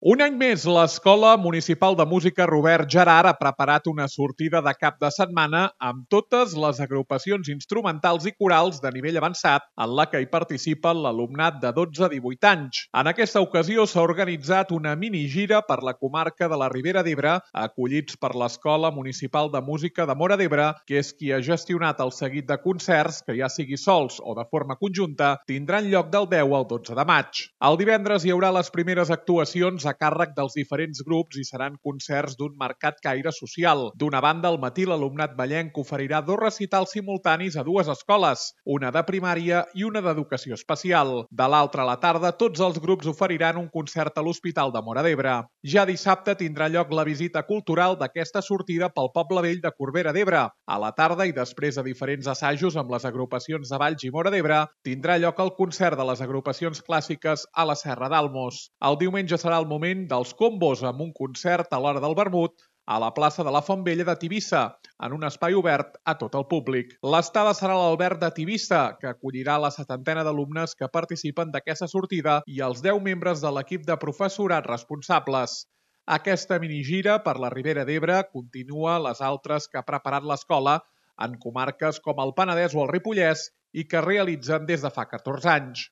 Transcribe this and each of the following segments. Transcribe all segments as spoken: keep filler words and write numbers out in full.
Un any més, l'Escola Municipal de Música Robert Gerard ha preparat una sortida de cap de setmana amb totes les agrupacions instrumentals i corals de nivell avançat en la que hi participa l'alumnat de dotze a divuit anys. En aquesta ocasió s'ha organitzat una minigira per la comarca de la Ribera d'Ebre, acollits per l'Escola Municipal de Música de Móra d'Ebre, que és qui ha gestionat el seguit de concerts que, ja sigui sols o de forma conjunta, tindran lloc del deu al dotze de maig. El divendres hi haurà les primeres actuacions a càrrec dels diferents grups i seran concerts d'un marcat caire social. D'una banda, al matí l'alumnat vallenc oferirà dos recitals simultanis a dues escoles, una de primària i una d'educació especial. De l'altra, a la tarda, tots els grups oferiran un concert a l'Hospital de Móra d'Ebre. Ja dissabte tindrà lloc la visita cultural d'aquesta sortida pel Poble Vell de Corbera d'Ebre. A la tarda, i després de diferents assajos amb les agrupacions de Valls i Móra d'Ebre, tindrà lloc el concert de les agrupacions clàssiques a la Serra d'Almos. El diumenge serà el moment dels combos amb un concert a l'hora del vermut a la plaça de la Font Vella de Tivissa, en un espai obert a tot el públic. L'estada serà a l'Alberg de Tivissa, que acollirà la setantena d'alumnes que participen d'aquesta sortida i els deu membres de l'equip de professorat responsables. Aquesta minigira per la Ribera d'Ebre continua les altres que ha preparat l'escola en comarques com el Penedès o el Ripollès i que realitzen des de fa catorze anys.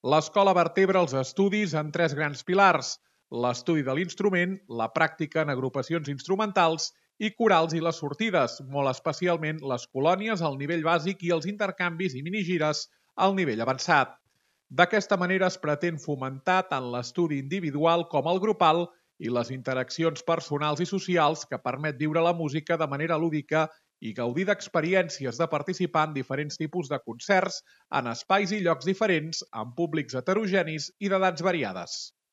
L'escola vertebra els estudis en tres grans pilars: l'estudi de l'instrument, la pràctica en agrupacions instrumentals i corals i les sortides, molt especialment les colònies al nivell bàsic i els intercanvis i minigires al nivell avançat. D'aquesta manera es pretén fomentar tant l'estudi individual com el grupal i les interaccions personals i socials que permet viure la música de manera lúdica i gaudir d'experiències de participar en diferents tipus de concerts en espais i llocs diferents, amb públics heterogenis i d'edats variades.